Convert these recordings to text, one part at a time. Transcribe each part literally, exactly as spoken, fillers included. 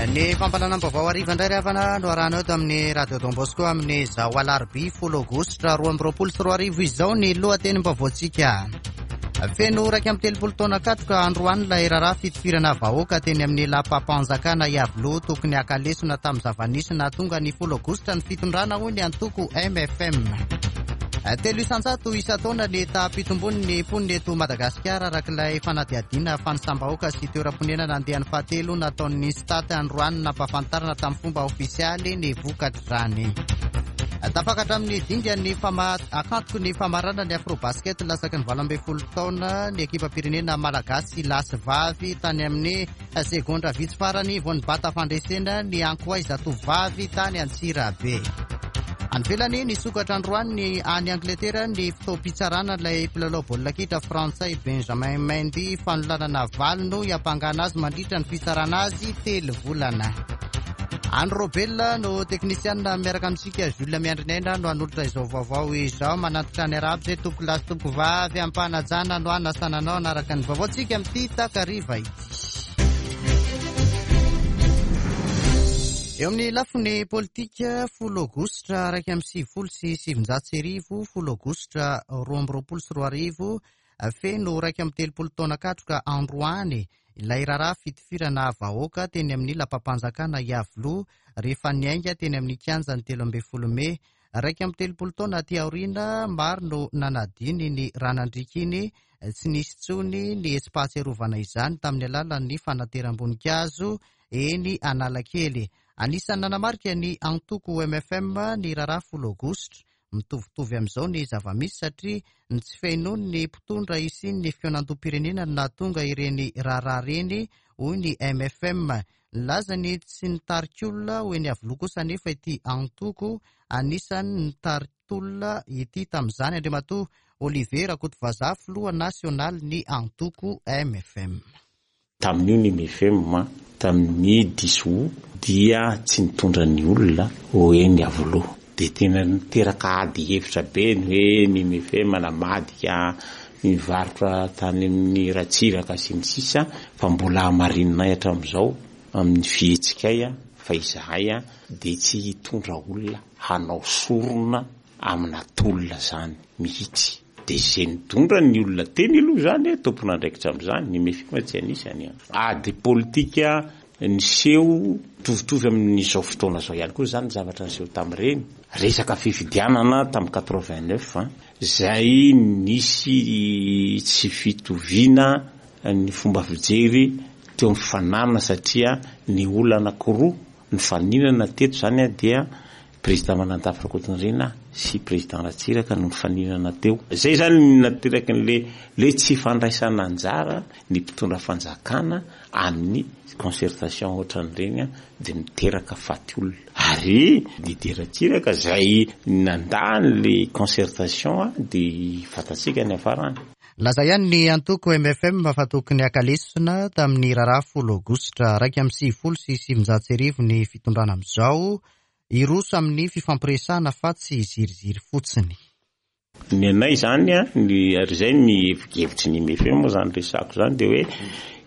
Ny fampahalalam-baovao hariva indray ry havana no arahanao eto amin'ny Radio Don Bosco amin'izao alarobia folo aogositra roa amby roapolo sy roa arivo izao ny lohatenim-baovaontsika. Feno iraika amby telopolo taona katroka androany ilay raharaha fitifirana vahoaka teny amin'ny lapam-panjakana Iavoloha. Tokony haka lesona tamin'ny zava-nisy nahatonga ny folo aogositra ny fitondrana, hoy ny antoko M F M. Telo isanjato isan-taona ny taham-pitombon'ny mponina eto Madagasikara, araka ilay fanadihadiana fanisam-bahoaka sy toeram-ponenana andiany fahatelo nataon'ny Instat. Androany nampahafantarana tamin'ny fomba ofisialy ny vokatr'izany. Tafakatra amin'ny dingan'ny fama akantoko ny famarana ny Afrobasket latsaky ny valo ambin'ny folo taona ny ekipam-pirenena malagasy lahy sy vavy. Tany amin'ny segondra vitsy farany vao nibata fandresena ny Ankoay zatovavy tany Antsirabe. Any ivelany, nisokatra androany ny any Angleterre ny fotoam-pitsarana ilay mpilalao baolina kitra frantsay Benjamin Mendy. Fanolanana valo no iampangana azy mandritra ny fitsarana azy telo volana. Andry Robel no teknisianina miaraka amintsika, Jules Miandrinaina no hanolotra izao vaovao izao. Manantitra ny arabo zay tompoko lahy sy tompoko vavy, ampanajana no anasananao anaraka ny vaovaontsika amin'ity takariva ity. Eo amin'ny lafiny politika, folo aogositra raika amby sivifolo sy sivinjato sy arivo, folo aogositra roa amby roapolo sy roa arivo, feno raika amby telopolo taona katroka androany ilay raharaha fitifirana vahoaka teny amin'ny lapam-panjakana Iavoloha rehefa niainga teny amin'ny kianja ny telo ambin'ny folo mey. Raika amby telopolo taona aty aoriana, maro no nanadino ny ra nandriaka iny. Tsy nisy intsony ny hetsi-pahatsiarovana izany tamin'ny alalan'ny fanateram-boninkazo eny Analakely. Anisan'ny nanamarika ny antoko M F M ny raharaha folo aogositra. Mitovitovy amin'izao ny zava-misy satria ny tsy fihainoany ny mpitondra hisian'ny fikaonandoham-pirenena no nahatonga ireny raharaha ireny, hoy ny M F M. Nilaza ny tsy nitarika olona ho eny Iavoloha kosa nefa ity antoko anisan'ny nitari-tolona ity tamin'izany. Andriamatoa Olivier Rakotovazaha, filoha nasionaly ny antoko M F M. Tamin'io ny M F M tamin'ny dix août dia tsy nitondra ny olona ho eny Iavoloha, de tena niteraka ady hevitra be ny hoe ny M F M namadika mivarotra tany amin'ny Ratsiraka sy ny sisa. Fa mbola hamarininay hatramin'izao amin'ny fihetsikay a fa izahay a de tsy hitondra olona hanao sorona amina tolona zany mihitsy. De zay nitondra ny olona teny aloha zany e tompon'andraikitra am'izany, ny M F M tsy anisany. Ady politika niseho mitovitovy amin'izao fotoana zao ihany koa zany zavatra niseho tamin'ireny resaka fifidianana tamin'ny quatre-vingt-neuf zay nisy tsy fitoviana ny fomba fijery teo amin'ny fananana, satria ny olona anankiroa nifaninana teto zany a dia président Manandafy Rakotonirina sy président Ratsiraka no mifaninana teo. Zay zany nateraky n'le le tsy fandraisana anjara ny mpitondra fanjakana amin'ny concertation ohatran'ireny a de miteraka faty olona. Ary Didier Ratsiraka zay nandany le concertation a de fantatsika ny afarany. Laza ihany ny antoko M F M fa tokony haka lesona tamin'ny raharaha folo aogositra raika amby sivifolo sy sivinjato sy arivo ny fitondrana amin'izao, hiroso amin'ny fifampiresahana fa tsy ziriziry fotsiny. Ny anay zany a ny ary zay ny hevitry ny M F M moa zany resako zany, de hoe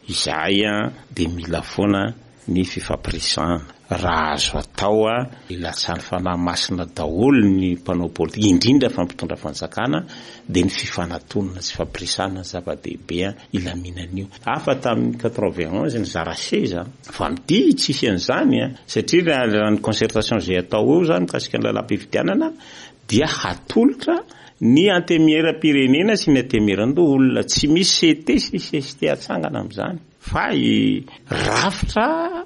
izahay a de mila foana ny fifampiresahana raha azo atao. A ilatsahan'ny Fanahy Masina daholo ny mpanao politika, indrindra fa mpitondra fanjakana, de ny fifanatonana sy fifampiresahana zava-dehibe a ilaminan'io. Hafa tamin'ny quatre-vingt onze ny zara seza, fa amity tsisy an'izany a satria raha ny concertation zay atao eo zany mikasika ny lalam-pifidianana dia hatolotra ny antenimieram-pirenena sy ny antenimieran-doholona, tsy misy C T sy C S T atsangana am'izany, fa i rafitra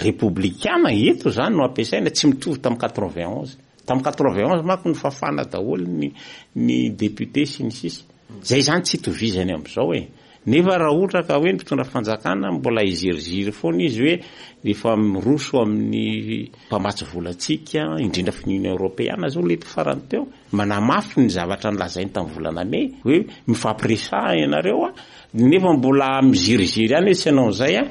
républicain eto zany no ampiasaina, tsy mitovy tamin'ny quatre-vingt onze. Tamin'ny quatre-vingt onze manko ny fafana daholo ny ny député sy ny sisa zay zany tsy itovizany am'izao e. Nefa raha ohatra ka hoe ny mpitondra fanjakana mbola iziriziry foana izy hoe rehefa miroso amin'ny mpamatsy volantsika, indrindra fa ny Union européenne zao lety farany teo manamafy ny zavatra nylazainy tamin'ny volana mey hoe mifampiresaha ianareo a nefa mbola miziriziry ihany hoe tsy hanao an'izay a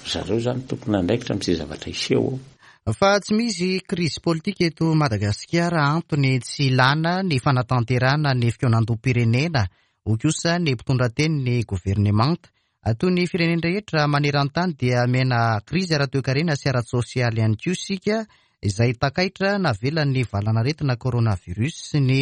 zareo zany tompona andraikitra am'izay zavatra iseho eo. Fa tsy misy krizy politika eto Madagasikara antony tsy ilana ny fanatanterahana ny fikaonandoham-pirenena, hoy kosa ny mpitondra teny ny governemanta. Toy ny firenena rehetra maneran-tany dia miaina krizy ara-toekarena sy ara-tsosialy ihany koa isika, izay takaitra navelan'ny valanaretina coronavirus sy ny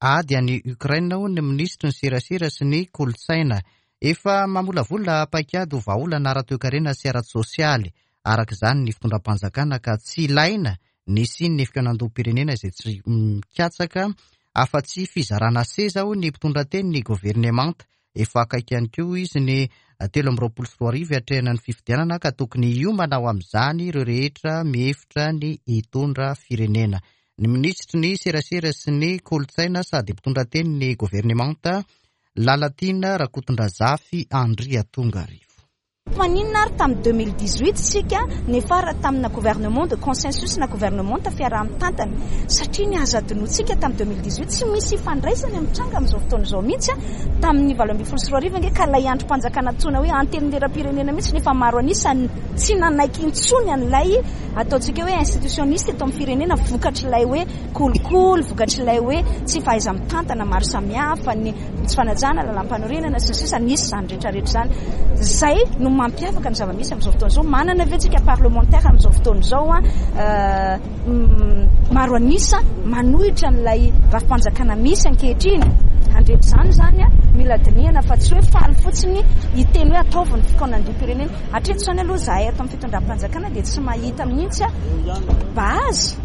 ady any Ukraine, hoy ny minisitry ny serasera sy ny kolontsaina. Efa mamolavola paikady ho vahaolana ara-toekarena sy ara-tsosialy araka izany ny fitondram-panjakana, ka tsy ilaina ny hisian'ny fikaonandoham-pirenena izay tsy mikatsaka afa-tsy fizarana seza, hoy ny mpitondra teny ny governemanta. Efa akaiky ihany koa izy ny telo amby roapolo sy roa arivo hiatrehana ny fifidianana, ka tokony hiomana ho amin'izany ireo rehetra mihevitra ny hitondra firenena. Ny minisitry ny serasera sy ny kolontsaina sady mpitondra teny ny governemanta, Lalatiana Rakotondrazafy Andriatongarivo. Maninona ary tamin'ny deux mille dix-huit isika niafara tamina gouvernement de consensus na gouvernement fiaraha-mitantana, satria ny azo adinointsika tamin'ny deux mille dix-huit tsy misy ifandraisany amin'ny tranga amin'izao fotoana izao mihitsy a. Tamin'ny valo ambin'ny folo sy roa arivo ange ka ilay andrim-panjakana antsoina hoe antenimieram-pirenena mihitsy nefa maro an'isa tsy nanaiky intsony an'ilay ataontsika hoe institutionniste eto amin'ny firenena, vokatr'ilay hoe kolikoly, vokatr'ilay hoe tsy fahaiza-mitantana maro samihafa, ny tsy fanajana lalàm-panorenana sy ny sisa, nisy izany rehetrarehetra izany. Izay no mampiavaka ny zava-misy amin'izao fotoana izao. Manana ve tsika parlementaire amin'izao fotoana izao a, maro an'isa manohitra an'ilay rafi-panjakana misy ankehitriny? Andretra izany izany a, mila dinihana fa tsy hoe faly fotsiny hiteny hoe ataovy ny fikaonandoham-pirenena. Hatreto izany aloha izahay ato amin'ny fitondram-panjakana dia tsy mahita mihitsy a base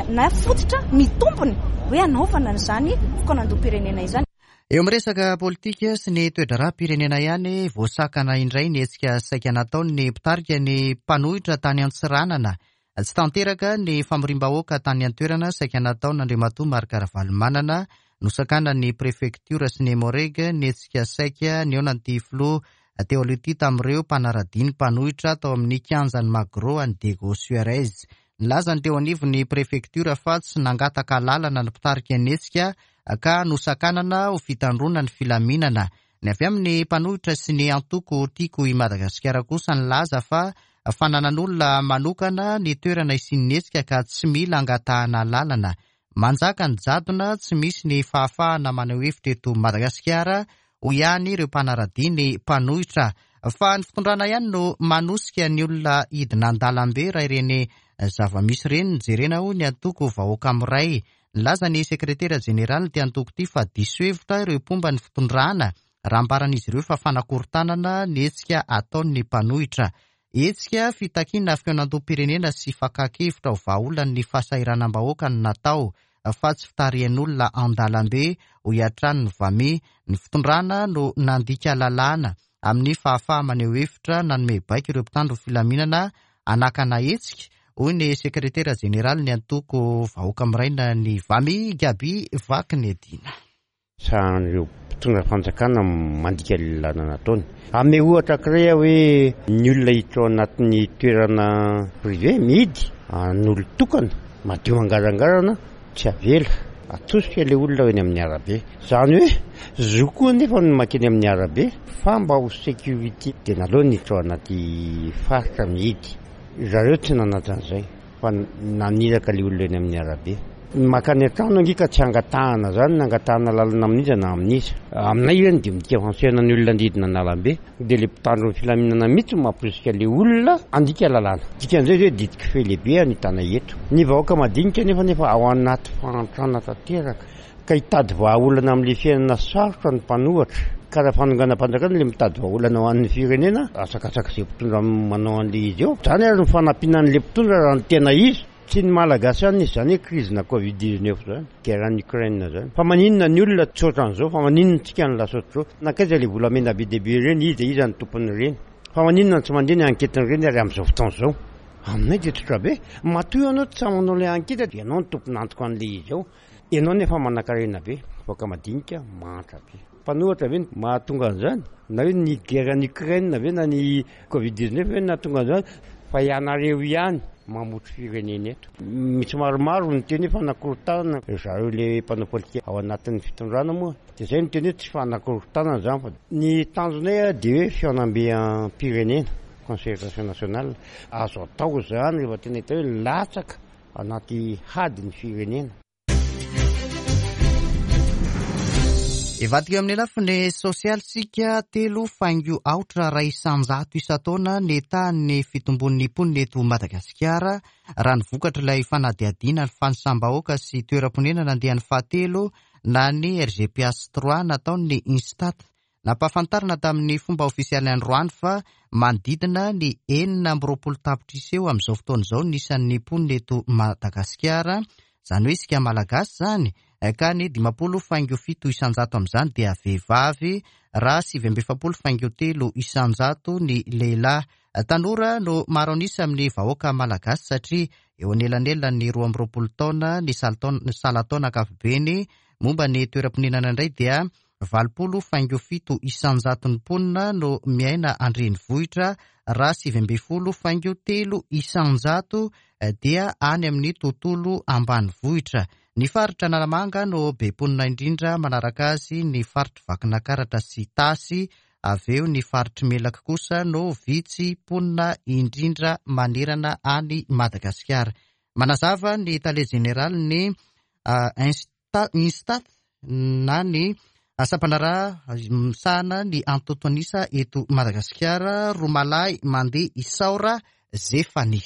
na fototra mitombony hoe hanaovana an'izany fikaonandoham-pirenena izany. Eo amin'ny resaka politika sy ny toe-draharaham-pirenena ihany, voasakana indray ny hetsika saika nataon'ny mpitarika ny mpanohitra tany Antsiranana. Tsy tanteraka ny famoriam-bahoaka tany an-toerana saika nataon'Andriamatoa Marc Ravalomanana. Nosakanan'ny prefektiora sy ny Emmo-Reg ny hetsika saika nihaonan'ity filoha teo aloha ity tamin'ireo mpanara-dia ny mpanohitra tao amin'ny kianjan'ny Magro any Diego Suarez. Nilaza ny teo anivon'ny prefektiora fa tsy nangataka lalana ny mpitarika ny hetsika ka nosakanana ho fitandroana ny filaminana. Ny avy amin'ny mpanohitra sy ny antoko Tiako i Madagasikara kosa nilaza fa fananan'olona manokana ny toerana isian'ny hetsika ka tsy mila angatahana lalana. Manjaka ny jadona, tsy misy ny fahafahana maneho hevitra eto Madagasikara, hoy ihany ireo mpanara-dia ny mpanohitra. Fa ny fitondrana ihany no manosika ny olona hidina an-dalambe raha ireny zava-misy ireny no jerena, hoy ny antoko Vahoaka Miray. Nilaza ny sekretera jeneraly ity antoko ity fa diso hevitra ireo mpomba ny fitondrana raha ambaran'izy ireo fa fanakorontanana ny hetsika ataon'ny mpanohitra. Hetsika fitakiana fikaonandoham-pirenena sy fakan-kevitra ho vahaolan'ny fahasahiranam-bahoaka no natao, fa tsy fitarihan'olona an-dalambe, hoy hatrany ny VAMI. Ny fitondrana no nandika lalàna amin'ny fahafaha maneho hevitra nanome baiko ireo mpitandro filaminana hanakana hetsika, hoy ny sekretera jeneraly ny antoko Vahoaka Miraina ny VAMI, Gaby Vakinedina. Sahan'ireo mpitondra fanjakana mandika lalàna nataony. Ame ohatra anankiray hoe ny olona hiditra ao anatin'ny toerana privé mihidy an'olon-tokana madio angarangarana tsy avela, atosika ilay olona eny amin'ny arabe. Izany hoe zo koa nefa no mankeny amin'ny arabe fa mba ho sécurité dia naleo niditra ao anaty faritra mihidy. Zareo tsy nanaja an'izay fa naniraka ilay olona eny amin'ny arabe. Ny makany an-trano ange ka tsy angatahana izany, na angatahana lalana amin'iza na amin'iza. Aminay izany dia midika fansehana ny olona andidina an-dalambe, dia ilay mpitandro ny filaminana mihitsy no mamporisika ilay olona handika lalàna. Dikan'izay izay didiko fe lehibe any tana eto. Ny vahoaka madinika nefa nefa ao anaty fahantrana tanteraka, ka hitady vahaolana amin'ilay fiainana sarotra ny mpanohitra. Ka raha fanonganam-panjakana ilay mitady vahaolana ho an'ny firenena, asakasaka izay mpitondra manao an'ilay izy eo. Izany ary ny fanampiana an'ilay mpitondra raha ny tena izy. Tsy ny Malagasy ihany nisy izany hoe crise na Covid dix-neuf izany, guerre en Ukraine izany. Fa maninona ny olona tsy ohatran'izao, fa maninona tsika ny lasa ohatr'izao? Nankaiza ilay volamena be dia be ireny, iza iza ny tompon'ireny? Fa maninona tsy mandeha ny enquête-n'ireny ary amin'izao fotoana izao? Aminay dia tsotra be. Matoa ianao tsy manao ilay enquête dia ianao no tompon'antoka an'ilay izy ao. Ianao nefa manan-karena be, vahoaka madinika mahantra be. Mpanohitra ve no mahatonga an'izany? Na hoe ny guerre en Ukraine ve na ny Covid dix-neuf ve no nahatonga an'izany? Fa ianareo ihany mamotry firenena eto. Misy maromaro ny teny hoe fanakorontanana, zareo ilay mpanao politika ao anatin'ny fitondrana moa dia izay no teny hoe tsy fanakorontanana izany fa ny tanjonay dia hoe fihaonambe-pirenena, concertation nationale. Azo atao izany rehefa tena hita hoe latsaka anaty hady ny firenena. Ivadika eo amin'ny lafiny sosialy sika, telo faingo aotra iray isan-jato isan-taona ny tahan'ny fitombon'ny mponina eto Madagasikara raha ny vokatra ilay fanadihadiana ny fanisam-bahoaka sy toeram-ponenana andiany fahatelo na ny R G P H trois nataon'ny Instat. Nampahafantarina tamin'ny fomba ofisialy androany fa manodidina ny enina amby roapolo tapitrisa eo amin'izao fotoana izao ny isan'ny mponina eto Madagasikara, izany hoe isika Malagasy zany, ka ny dimampolo faingo fito isan-jato amin'izany dia vehivavy raha sivy amby efapolo faingo telo isan-jato ny lehilahy. Tanora no maro an'isa amin'ny vahoaka malagasy satria eo anelanelan'ny roa amby roapolo taona ny salan-taona ankapobeny. Momba ny toeram-ponenana indray dia valopolo faingo fito isan-jato ny mponina no miaina an-drenivohitra raha sivy amby folo faingo telo isan-jato dia any amin'ny tontolo ambanivohitra. Ny faritra Analamanga no be mponina indrindra, manaraka azy ny faritry Vakinankaratra sy Itasy, avy eo ny faritry Melaky kosa no vitsy mponina indrindra manerana any Madagasikara. Manazava ny tale jeneraly ny Instat na ny sampandraharaha misahana ny antontanisa eto Madagasikara, Romalahy Mandeha Isaora Zefani.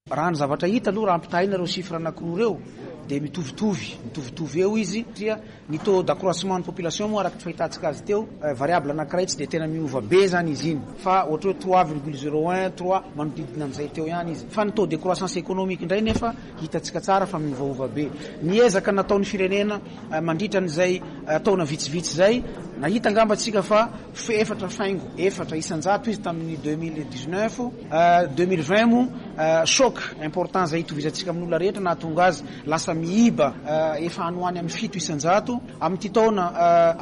Raha ny zavatra hita aloha, raha ampitahaina ireo chiffre anankiroa ireo dia mitovitovy mitovitovy eo izy, satria ny taux d'accroissement ny population moa, araka ny fahitantsika azy teo, variable anankiray tsy dia tena miova be zany izy iny, fa ohatra hoe trois virgule zéro un, trois, manodidina amin'izay teo ihany izy. Fa ny taux de croissance économique indray nefa hitantsika tsara fa miovaova be. Ny ezaka nataon'ny firenena mandritra n'izay taona vitsivitsy zay, nahita angamba tsika fa efatra faingo efatra isan-jato izy tamin'ny deux mille dix-neuf. Deux mille vingt mo choc important zay hitovizantsika amin'olona rehetra nahatonga azy lasa miiba efa anoany amin'ny fito isan-jato. Amin'ity taona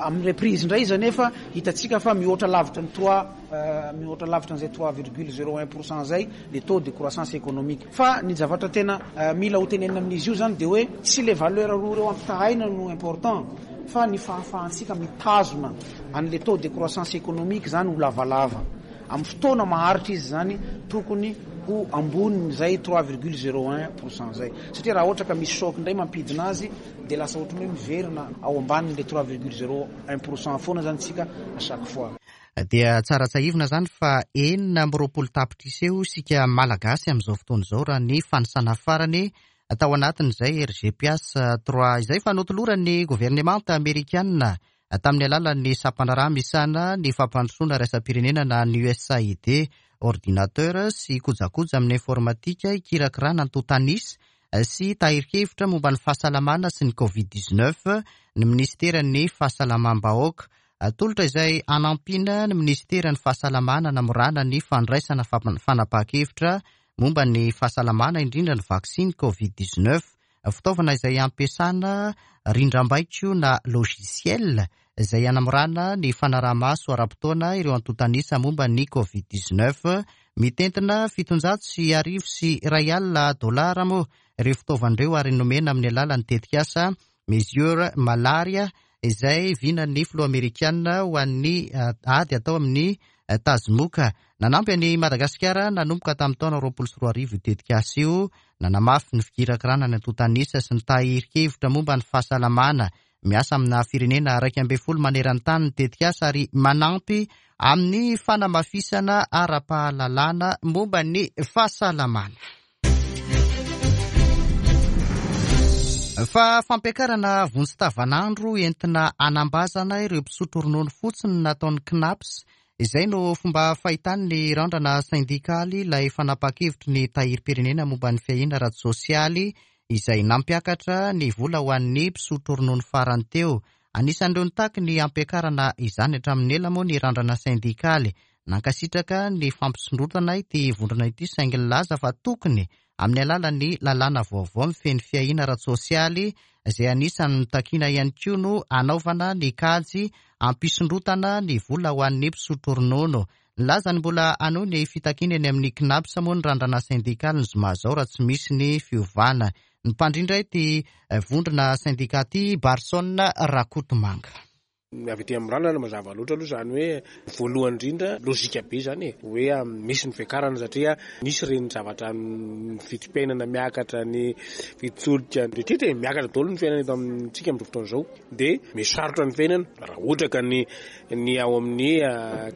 amin'ny reprise indray izy anefa hitantsika fa mihoatra lavitra ny trois, mihoatra lavitra an'izay trois virgule zéro un pourcent zay le taux de croissance économique. Fa ny zavatra tena mila ho tenenina amin'izy io zany de hoe tsy le valeur roa reo ampitahaina no important, fa ny fahafahantsika mitazona an'le taux de croissance économique zany ho lavalava amin'ny fotoana maharitra izy zany, tokony ho amboniny zay trois virgule zéro un pourcent zay, satria raha ohatra ka misy choc indray mampidina azy de lasa ohatrany hoe miverina ao ambaniny le trois virgule zéro un pourcent foana zany tsika à chaque fois. Dia tsara tsahivina zany fa enina amby roapolo tapitrisa eo isika Malagasy amin'izao fotoana izao raha ny fanisana farany tao anatin'izay R G P H trois izay. Fa notoloran'ny governemanta amerikanina tamin'ny alalan'ny sampandraharaha misahana ny fampandrosoana iraisam-pirenena na ny U S A I D ordinateur sy kojakoja amin'ny informatika ikirakirana antontanisa sy tahirin-kevitra momba ny fahasalamana sy ny COVID dix-neuf ny ministeran'ny fahasalamam-bahoaka. Tolotra izay anampiana ny ministeran'ny fahasalamana namorana ny fandraisana fanapahan-kevitra momba ny fahasalamana, indrindra ny vaksiny COVID dix-neuf. Fitaovana izay ampiasana rindrambaiko na logiciel izay anamorana ny fanaraha-maso ara-potoana ireo antontanisa momba ny COVID dix-neuf. Mitentina fitonjato sy arivo sy iray alina dolara moa ireo fitaovan'ireo ary nomena amin'ny alalan'ny tetikasa Mesure Malaria izay vinan'ny filoha amerikanina ho an'ny ady atao amin'ny tazomoka. Nanampy any Madagasikara nanomboka tamin'ny taona roapolo sy roa arivo tetikasa io, nanamafy ny fikirakirana ny antontanisa sy ny tahirin-kevitra momba ny fahasalamana. Miasa amina firenena raiky ambe folo maneran-tany ny tetikasa ary manampy amin'ny fanamafisana ara-pahalalana momba ny fahasalamana. Fa fampiakarana vonjy tavanandro entina anambazana ireo mpisotro ronono fotsiny nataon'ny CNAPS izay no fomba fahitany ny Randrana sindikaly ilay fanapa-kevitry ny tahirim-pirenena momba ny fiahiana ara-tsosialy izay nampiakatra ny vola ho an'ny mpisotro ronono farany teo. Anisan'ireo nitaky ny ampiakarana izany hatramin'ny ela moa ny Randrana sindikaly. Nankasitraka ny fampisondrotana ity vondrona ity, saingy nilaza fa tokony amin'ny alalan'ny lalàna vaovao mifehy ny fiahiana ara-tsosialy izay anisan'ny nitakiana ihany koa no anaovana ny kajy ampisondrotana ny vola ho an'ny mpisotro ronono. Nilaza ny mbola hanohy ny fitakiana eny amin'ny CNAPS moa ny Randrana sindikaly ny zoma zao raha tsy misy ny fiovana. Ny mpandrindra ity vondrona sindika ty, Barson Rakotomanga. Avy aty amin'ny randrana mazava loatra aloha izany hoe voalohany indrindra lojika be izany e, hoe misy ny fiakarana satria nisy ireny zavatra ny vidim-piainana miakatra, ny vidin-tsolika rehetra e, miakatra daholo ny fiainana eto amintsika amin'izao fotoana izao, dia misarotra ny fiainana. Raha ohatra ka ny ny ao amin'ny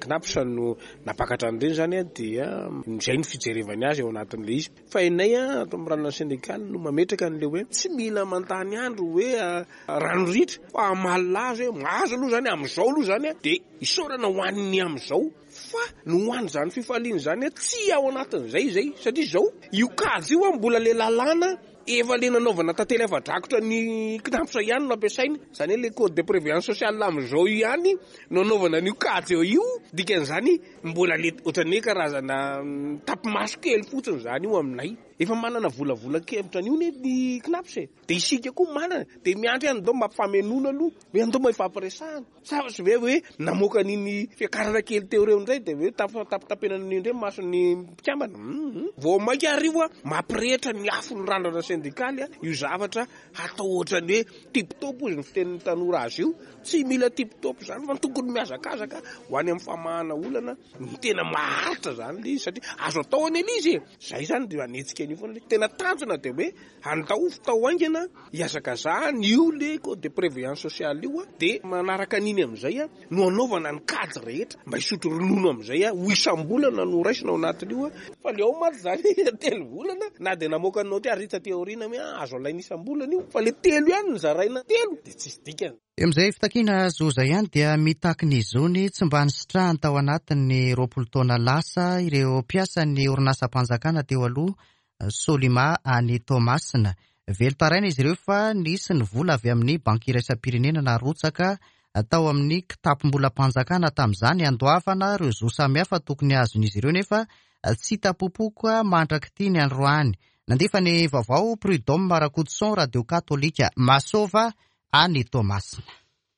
CNAPS no nampakatra an'ireny izany dia izay no fijerevany azy ao anatin'ilay izy. Fa inay ato amin'ny randrana sendikaly no mametraka an'ilay hoe tsy mila manontany andro hoe rano ritra fa hamaly laza hoe mahazo aloha izany amin'izao aloha izany dia isaorana ho an'ny amin'izao, fa no ho an'izany fifaliana izany tsy ao anatin'izay izay, satria izao io kajy io mbola le lalàna efa le nanaovana tantely afa-drakotra ny CNAPS ihany no ampiasaina, izany hoe le code de prévoyance sociale amin'izao ihany no anaovana an'io kajy eo io, dikan'izany mbola le ohatran'ny hoe karazana tapimaso kely fotsiny izany io aminay. Efa manana volavolan-kevitra an'io ne ny CNAPS e, dia isika koa manana, dia miandry ihany ndao mampifamenoana aloha, hoe andao mba hifampiresahana. Sa ve hoe namoaka an'iny fiakarana kely teo ireo indray dia hoe tapitapenana an'iny indray mason'ny mpikambana. Vao mainka ary io mampirehitra ny afon'ny randrana sendikaly io zavatra hatao ohatran'ny hoe tip-top izy ny fitenin'ny tanora azy io. Tsy mila tip-top izany fa tokony mihazakazaka ho any amin'ny famahana olana ny tena maharitra izany ilay izy, satria azo atao anie ilay izy e. Izay izany dia hanetsika an'io foana. Tena tanjona dia hoe andao fitao haingana hihazakazahana io le code de prévoyance sociale io, dia manaraka an'iny amin'izay no anaovana ny kajy rehetra mba hisotro ronono amin'izay ho isam-bolana no raisina ao anatin'io. Fa le ao mantsy izany telo volana na dia namoaka ny naoty ary hita teo aoriana hoe azo alaina isam-bolana io, fa le telo ihany no zaraina telo dia tsisy dikany. Eo amin'izay fitakiana zo izay ihany dia mitaky ny zony tsy mba nisitrahany tao anatin'ny roapolo taona lasa ireo mpiasan'ny orinasam-panjakana teo aloha Solima any Toamasina. Velon-taraina izy ireo fa nisy ny vola avy amin'ny banky iraisam-pirenena narotsaka tao amin'ny kitapom-bolam-panjakana tamin'izany andoavana ireo zo samihafa tokony azon'izy ireo, nefa tsy hita popoka mandrak'ity ny androany. Nandefa ny vaovao Prud'homme Rakotoson, Radio Katolika Masova any Toamasina.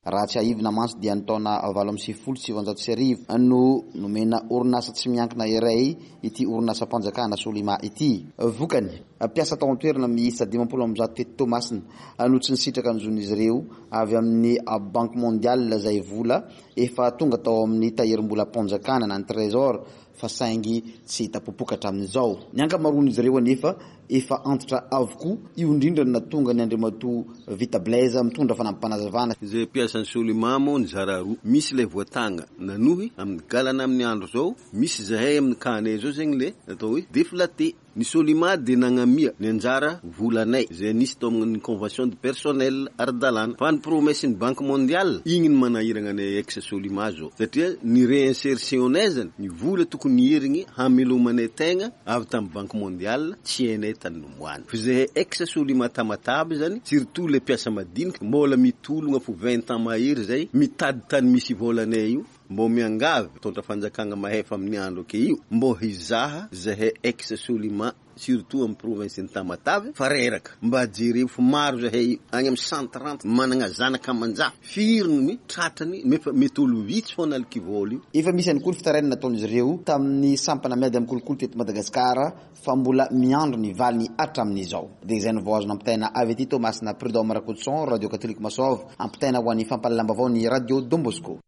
Raha tsy aivina mantsy dia ny taona valo amby sivifolo sy sivanjato sy arivo no nomena orinasa tsy miankina iray ity orinasam-panjakana Solima ity. Vokany, mpiasa tao an-toerana miisa dimampolo amby zato teto Toamasina no tsy nisitraka ny zon'izy ireo avy amin'ny Banque Mondiale izay vola efa tonga tao amin'ny tahirim-bolam-panjakana na ny Trésor, fa saingy tsy hita popoka hatramin'izao. Ny ankamaroan'izy ireo anefa efa antitra avokoa, io indrindra no nahatonga ny Andriamatoa Vita Blaise mitondra fanampim-panazavana. Izay mpiasan'ny Solima moa nizara roa, misy ilay voatanga nanohy amin'ny galana amin'ny andro izao, misy zahay amin'ny kanay izao zegny le atao hoe déflaté. Ny Solima dia nagnamia ny anjara volanay izay nisy tao amin'ny convention de personnel ara-dalàna, fa ny promesse ny Banque Mondiale igny no manahirana anay ex Solima zao, satria ny réinsertion-nay zany ny vola tokony herigny hamelomanay tegna avy tamin'ny Banque Mondiale tsy hainay tany nomoany. Fa zahay ex Solima Tamatave zany, surtout le mpiasa madinika mbola mitologna fo vingt ans mahery zay mitady tany misy volanay io, mbô miangavy mitondra fanjakana mahefa amin'ny andro ake io mbô hizaha zahay ex Solima surtout amin'ny province ny Tamatave fa reraka mba jereo fa maro zahay agny amin'ny cent trente managna zanaka aman-jafy firy ny tratrany nefa mety olo vitsy foana aliky vola io. Efa misy ihany koa ny fitarainana nataon'izy ireo tamin'ny sampana miady amin'ny kolikoly teto Madagasikara fa mbola miandro ny valiny hatramin'izao. Dia izay no vao azo nampitaina avy aty Toamasina, Prud'homme Rakotoson, Radio Katolika Masova, ampitaina ho an'ny fampahalalam-baovao ny Radio Don Bosco.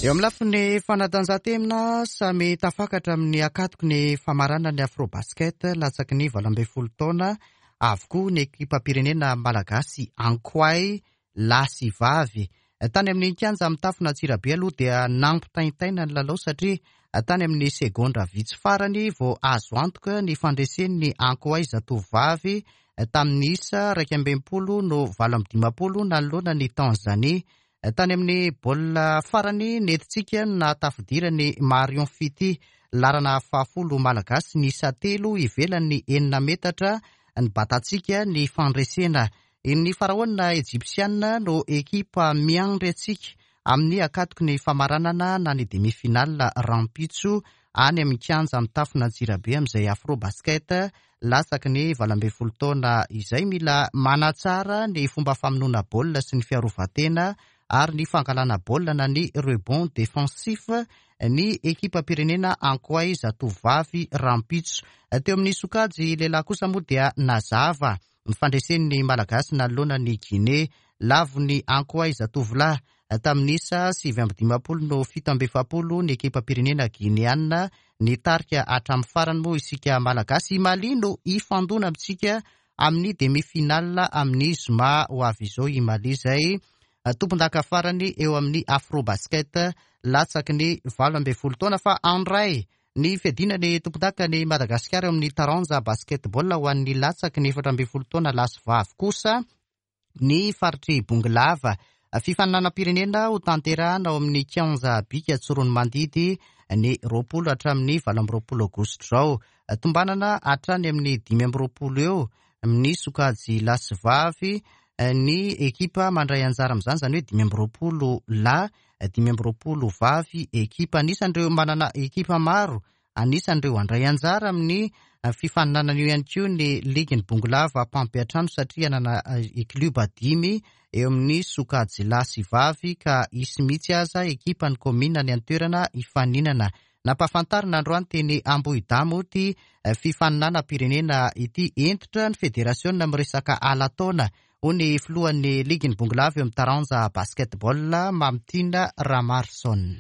Eo amin'ny lafiny fanatanjahantena, samy tafakatra amin'ny akatoky ny famaranana ny Afrobasket latsaky ny valo ambin'ny folo taona avokoa ny ekipam-pirenena malagasy Ankoay lahy sy vavy. Tany amin'ny kianja mitafona Antsirabe aloha dia nampitaintaina ny lalao satria tany amin'ny segondra vitsy farany vao azo antoka ny fandresen'ny Ankoay zatovovavy tamin'ny isa iraika amby enimpolo no valo amby dimampolo nanoloana ny Tanzania. Tany amin'ny baolina farany nentintsika no nahatafidirany Marion Fiti, larana fahafolo malagasy ny isa telo ivelan'ny enina metatra ny batantsika ny fandresena. Ny faraona ejipsiana no ekipa miandry antsika amin'ny akatoky ny famaranana na ny demi-finale rahampitso any amin'ny kianja mitafona Antsirabe amin'izay Afrobasket latsaky ny valo ambin'ny folo taona izay. Mila manatsara ny fomba famonoana baolina sy ny fiarovan-tena ary ny fangalana baolina na ny rebond défensif ny ekipam-pirenena Ankoay zatovovavy rahampitso. Teo amin'ny sokajy lehilahy kosa moa dia nazava ny fandresen'ny malagasy nanoloana ny Guinée Lavon'ny Ankoay Zatovolahy tamin'ny isa sivy amby dimampolo no fito amby efapolo ny ekipam-pirenena Gineana. Nitarika hatramin'ny farany moa isika Malagasy. I Mali no hifandona amintsika amin'ny demi-finale amin'ny zoma ho avy izao. I Mali izay tompon-daka farany eo amin'ny Afrobasket latsaky ny valo ambin'ny folo taona. Fa andray ny fiadiana ny tompon-daka ny Madagasikara eo amin'ny taranja basketball ho an'ny latsaky ny efatra ambin'ny folo taona lahy sy vavy kosa ny faritry Bongolava. Fifaninanam-pirenena ho tanterahana ao amin'ny kianja Bika Tsiroanomandidy ny roapolo hatramin'ny valo amby roapolo aogositra izao. Tombanana hatrany amin'ny dimy amby roapolo eo amin'ny sokajy lahy sy vavy ny ekipa mandray anjara amin'izany, izany hoe dimy amby roapolo lahy, dimy amby roapolo vavy ekipa. Anisan'ireo manana ekipa maro, anisan'ireo handray anjara amin'ny fifaninanana io ihany koa ny ligin'ny Bongolava mpampiantrano, satria hanana klioba dimy eo amin'ny sokajy lahy sy vavy, ka hisy mihitsy aza ekipan'ny kaominina any an-toerana hifaninana. Nampahafantarina androany teny Ambohidamo ity fifaninanam-pirenena ity. Hentitra ny federasiona miresaka ala-taona, hoy ny filohan'ny ligin'ny Bongolava eo amin'ny taranja basketball, Mamitiana Ramarson.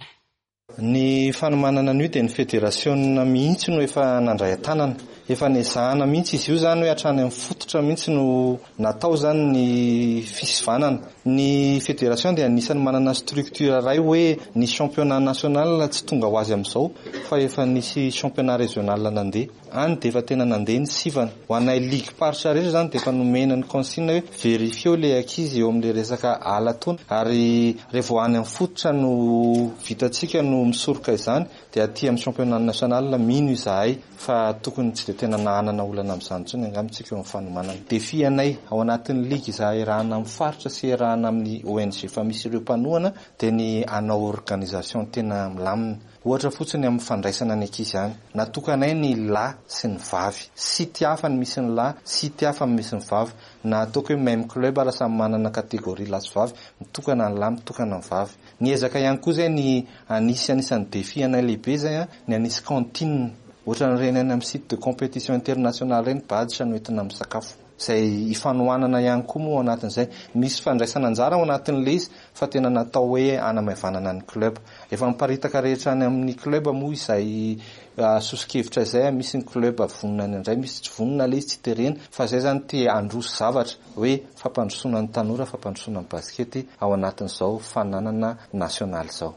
Ny fanomanana an'io dia ny federasiona mihitsy no efa nandray an-tanana. Efa nezahana mihitsy izy io, zany hoe hatrany amin'ny fototra mihitsy no natao zany ny fisivanana. Ny fédération dia anisan'ny manana structure iray hoe ny championnat national tsy tonga ho azy amin'izao, fa efa nisy championnat régional nandeha. Any dia efa tena nandeha ny sivana. Ho anay ligue paritra rehetra zany dia efa nomena ny consigne hoe vérifieo le ankizy eo amin'le resaka ala-taona, ary rehefa any amin'ny fototra no vitantsika no misoroka izany, dia aty amin'ny championnat national mino izahay fa tokony tsy dia tena nahanana olana amin'izany intsony angamba tsika eo amin'ny fanomanana. Défi anay ao anatin'ny ligue izahay iarahana amin'ny faritra sy iarahana amin'ny O N G fa misy ireo mpanohana, dia ny hanao organisation tena milamina. Ohatra fotsiny, amin'ny fandraisana ny ankizy any, natokanay ny lahy sy ny vavy, site hafa ny misy ny lahy, site hafa ny misy ny vavy, na ataoko hoe même club raha samy manana catégorie lahy sy vavy, mitokana ny lahy, mitokana ny vavy. Ny ezaka ihany koa zay ny anisy anisan'ny défi anay lehibe zay a, ny anisy cantine ohatran'ireny any amin'ny site de compétition international reny, badge no entina amin'ny sakafo, izay ifanohanana ihany koa moa ao anatin'izay. Misy fandraisana anjara ao anatin'le izy, fa tena natao hoe anamaivanana ny club. Efa miparitaka rehetra any amin'ny club moa izay soso-kevitra izay. Misy ny club vonona ny andray, misy tsy vonona, le izy tsy terena, fa zay zany te handroso zavatra hoe fampandrosoana ny tanora, fampandrosoana ny baskety ao anatin'izao fananana nasionaly izao.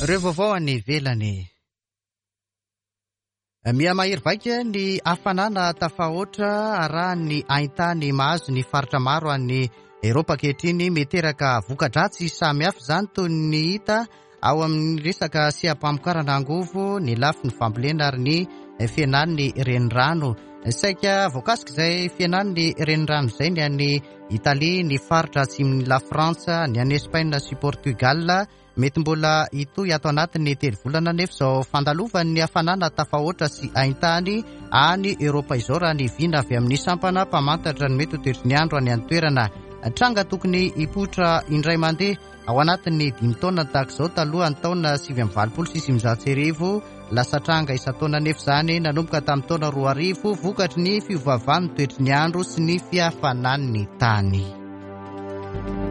Ireo vaovao any ivelany. Mihamahery vaika ny hafanana tafahoatra arahan'ny haintany mahazo ny faritra maro any Eropa ankehitriny. Miteraka voka-dratsy samihafa izany, toy ny hita ao amin'ny resaka seha-pamokarana angovo, ny lafiny fambolena ary ny fihenan'ny renirano. Saika voakasika izay fihenan'ny renirano izay ny any Italia, ny faritra atsimon'ny La Frantsa, ny any Espaina sy Portugal. Mety mbola hitohy ato anatin'ny telo volana nefa izao fandalovan'ny hafanana tafahoatra sy haintany any Eropa izao, raha ny vina avy amin'ny sampana mpamantatra ny mety ho toetry ny andro any an-toerana. Tranga tokony hipoitra indray mandeha ao anatin'ny dimy taona tahaka izao talohan'ny taona sivy amby valopolo sy sivinjato sy arivo, lasa tranga isan-taona nefa izany nanomboka tamin'ny taona roa arivo, vokatry ny fiovaovan'ny toetry ny andro sy ny fihafanan'ny tany.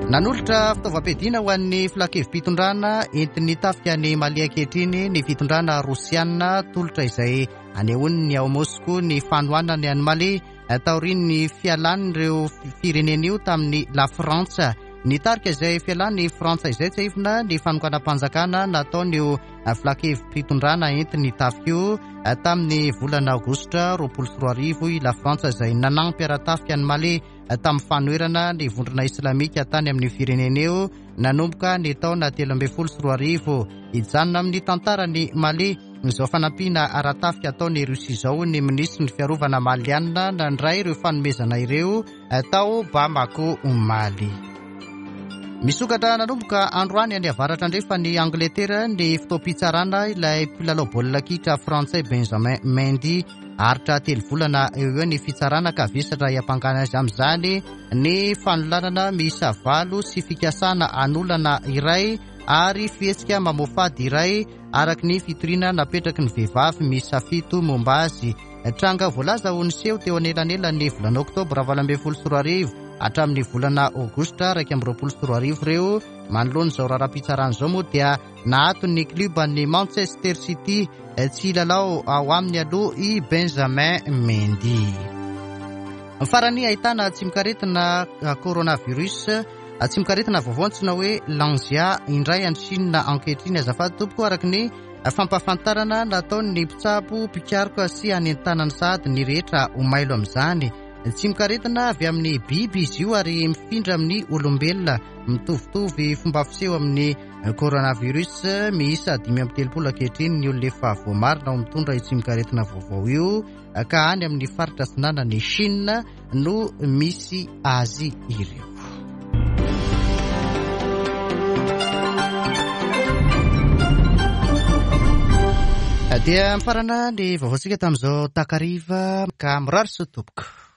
Nanolotra fitaovam-piadiana ho an'ny filan-kevi-pitondrana entin'ny tafika ny Mali ankehitriny ny fitondrana rosiana, tolotra izay anehoan'ny ao Moscou ny fanohanany any Mali taorian'ny fialan'ireo firenena io tamin'ny La Frantsa. Nitarika izay fialan'ny Frantsa izay, tsiahivina, ny fanonganam-panjakana nataon'io filan-kevi-pitondrana entin'ny tafika io tamin'ny volana aogositra roapolo sy roa arivo. I La Frantsa izay nanampy ara-tafika ny Mali tamin'ny fanoherana ny vondrona islamika tany amin'ny firenena io nanomboka ny taona telo ambin'ny folo sy roa arivo. Hijanona amin'ny tantarany Mali izao fanampiana ara-tafika ataony Rusia izao, ny minisitry ny fiarovana malianina nandray ireo fanomezana ireo tao Bamako omaly. Misokatra nanomboka androany any avaratra andrefa ny Angleterre ny fotoam-pitsarana ilay mpilalao baolina kitra frantsay Benjamin Mendy. Aritra telo volana eo eo ny fitsarana, ka vesatra iampangana azy amin'izany ny fanolanana miisa valo sy fikasana anolana iray ary fihetsika mamoafady iray, araka ny fitoriana napetraky ny vehivavy miisa fito momba azy. Tranga voalaza ho niseho teo anelanelan'ny volana oktobra valo ambin'ny folo sy roa arivo hatramin'ny volana aogositra iraika amby roapolo sy roa arivo ireo. Manoloana izao raharaham-pitsarana izao moa dia naaton'ny kluban'ny Manchester City tsy hilalao ao aminy aloha i Benjamin Mendy. Farany, ahitana tsimokaretina coronavirus, tsimokaretina vaovao antsoina hoe Langya indray any Chine ankehitriny. Azafady tompoko, araka ny fampahafantarana nataon'ny mpitsabo mpikaroka sy anentanany sahady ny rehetra ho mailo amin'izany. Tsimokaretina avy amin'ny biby izy io ary mifindra amin'ny olombelona, mitovitovy fomba fiseho amin'ny coronavirus. Miisa dimy amby telopolo ankehitriny ny olona efa voamarina ho mitondra io tsimokaretina vaovao io, ka any amin'ny faritra atsinanan'i Chine no misy azy ireo. Dia mifarana ny vaovaontsika tamin'izao takariva, ka mirary soa tompoko.